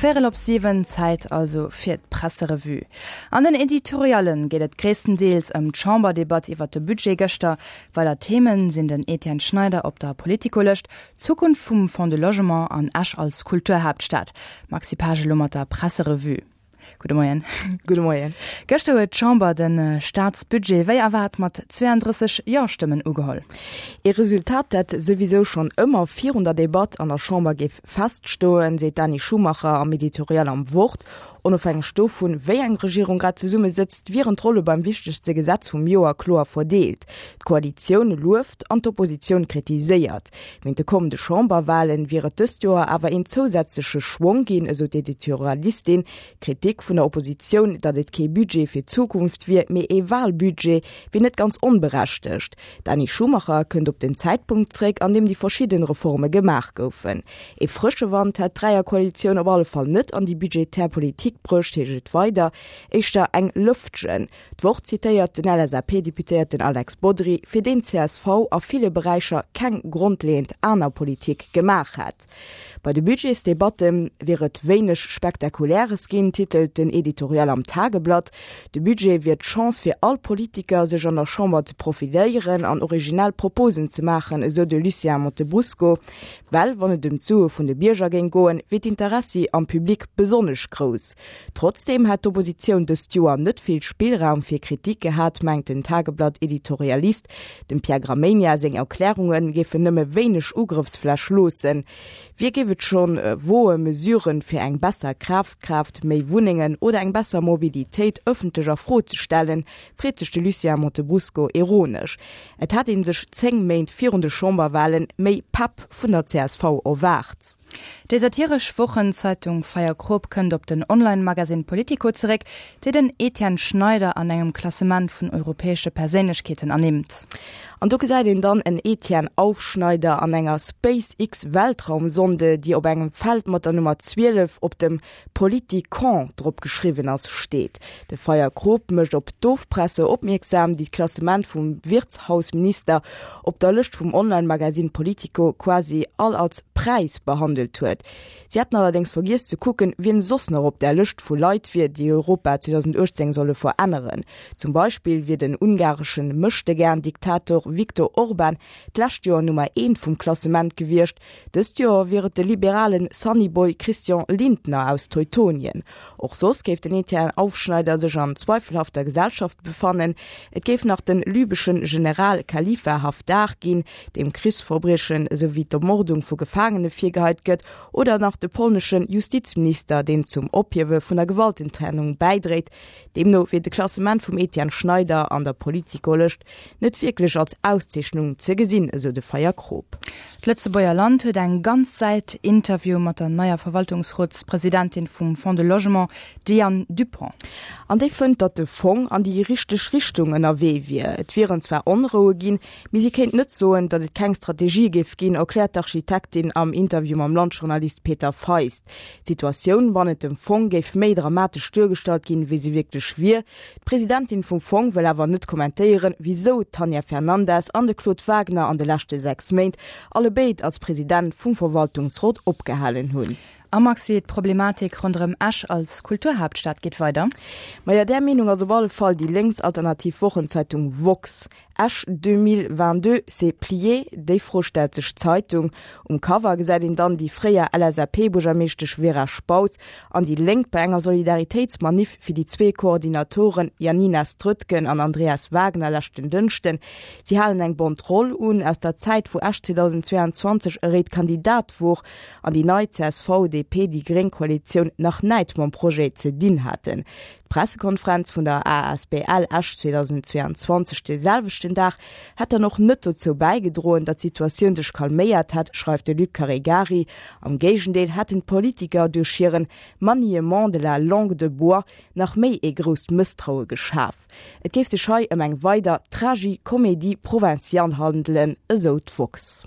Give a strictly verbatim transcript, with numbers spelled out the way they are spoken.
Véierel op siwen, Zäit also fir d'Presserevue. An den Editoriallen geet et gréisstendeels ëm d'Chamberdebatt iwwer de Budget gëschter. Weider Themen sinn den Etienne Schneider op der Politico-Lëscht, d'Zukunft vum Fonds de Logement an Esch als Kulturhaaptstad. Maxi Pesch elo mat der Presserevue. Gudde Moien. Gudde Moien. Gëschter huet d'Chamber de Staatsbudget wéi erwaart mat zweeëndrësseg Jo-Stëmmen ugeholl. E Resultat, dat souwisou schonn ëmmer virun der Debatt an der Chamber géif feststoen, seet d'Dani Schumacher am Editorial am Wort. Onofhängeg dovun, wéi eng Regierung grad zesummesëtzt, wieren d'Rolle beim wichtegste Gesetz vum Joer kloer verdeelt. D'Koalitioun lueft an d'Oppositioun kritiséiert. Wéint de kommende Chamberwalen wier et dëst Joer awer een zousätzleche Schwong ginn, esou d'Editorialistin. D'Kritik vun der Oppositioun, datt et kee Budget fir d'Zukunft wier, mee ee Walbudget, wier net ganz onberechtegt. D'Dani Schumacher kënnt op den Zäitpunkt zréck, an deem déi verschidden Reforme gemaach goufen. Ee frësche Wand hätt d'Dräierkoalitioun op alle Fall net an déi budgetär Politik bruecht, heescht et weider, éischter eng Lëftchen. D'Wort zitéiert den L S A P-Deputéierten Alex Bodry, fir deen d'C S V a ville Beräicher keng grondleeënd aner Politik gemaach hätt. Bei de Budgetsdebatte wier et wéineg Spektakuläres ginn, titelt den Editorial am Tageblatt. De Budget wier d'Chance fir all Politiker, sech an der Chamber ze profiléieren an originell Proposen ze maachen, esou de Lucien Montebrusco. Well wann et ëm d'Sue vun de Bierger géing goen, wier d'Interessi am Public besonnesch grouss. Trotzdeem hätt d'Oppositioun dëst Joer net vill Spillraum fir Kritik gehat, mengt den Tageblatt-Editorialist. Dem Pierre Gramegna seng Erklärunge géifen nëmme wéineg Ugrëffsfläch loossen. Wie géif et schonn woe Mesuren fir eng besser Kafkraaft, méi Wunnengen oder eng besser Mobilitéit ëffentlech a Fro ze stellen, freet sech de Lucien Montebrusco ironesch. Et hätt ee sech zéng Méint virun de Chamberwalen méi Pepp vun der C S V erwaart. Déi satiresch Wochenzeitung Feierkrop kënnt op den Online-Magasinn Politico zeréck, déi den Etienne Schneider an engem Klassement vun europäesche Perséinlechkeeten ernimmt. An do gesäit een dann en Etienne Aufschneider an enger SpaceX-Weltraumsonde, déi op engem Feld mat der Nummer zwielef op dem Politikon drop geschriwwen ass, steet. De Feierkrop mécht op d'Ofpresse opmierksam, déi d'Klassement vum Wirtshausminister op der Lëscht vum Online-Magasinn Politico quasi all als Präis behandelt huet. Si hätten allerdéngs vergiess ze kucken, wien soss nach op der Lëscht vu Leit wier, déi Europa zweedausenduechtzéng solle veränneren. Zum Beispill wier den ungareschen Möchtegern-Diktator Viktor Orban d'lescht Joer Nummer eent vum Klassement gewiescht, dëst Joer wier et de liberalen Sunnyboy Christian Lindner aus Teutonien. Och soss géif den Etienne Aufschneider sech an zweifelhafter Gesellschaft befannen. Et géif nach den libyschen General Khalifa Haftar ginn, deem Krichsverbriechen esouwéi d'Ermordung vu Gefaangene virgeheit gëtt, oder nach de polneschen Justizminister, deen zum Ophiewe vun der Gewaltentrennung bäidréit. Deemno wier de Klassement vum Etienne Schneider an der Politico-Lëscht net wierklech als Auszeechnung ze gesinn, esou de Feierkrop. D'Lëtzebuerger Land huet eng ganz Säit Interview mat der neier Verwaltungsrotspresidentin vum Fonds de Logement, Diane Dupont. An déi fënnt, datt de Fong an déi richteg Richtung ënnerwee wier. Et wieren zwar Onroue ginn, mee si kéint net soen, datt et keng Strategie géif ginn, erkläert d'Architektin am Interview mam Landjournalist Peter Feist. D'Situatioun bannent dem Fong géif méi dramatesch duergestallt ginn, wéi se wierklech wier. D'Presidentin vum Fong wëll awer net kommentéieren, wisou d'Tanja Fernandes an de Claude Wagner an de leschte sechs Méint allebéid als President vum Verwaltungsrot opgehalen hunn. A Maxi, d'Problematik ronderëm Esch als Kulturhaaptstad geet weider. Maja, där Meenung ass op alle Fall déi lénksalternativ Wochenzeitung Woxx. Esch zweedausendzwouundzwanzeg, c'est plié? Déi Fro stellt sech d'Zeitung. Um Cover gesäit een dann déi fréier L S A P-Buergermeeschtesch Vera Spautz an déi Lénk bei enger Solidaritéitsmanif fir déi zwee Koordinatoren Janina Strötgen an Andreas Wagner leschten Dënschden. Si halen eng Banderole un aus der Zäit, wou Esch zweedausendzwouundzwanzeg e réit Kandidat wor an déi nei C S V-D P-déi gréng Koalitioun nach näit mam Projet ze dinn haten. D'Pressekonferenz vun der A S B L Esch zweedausendzwouundzwanzeg de selwechten Dag hätt dann och net dozou bäigedroen, datt d'Situatioun sech calméiert hätt, schreift de Luc Caregari. Am Géigendeel hätten d'Politiker duerch hiren Maniement de la langue de bois nach méi e grousst Mësstraue geschaf. Et géif sech hei ëm eng weider Tragicomédie provinciale handelen, esou d'Woxx.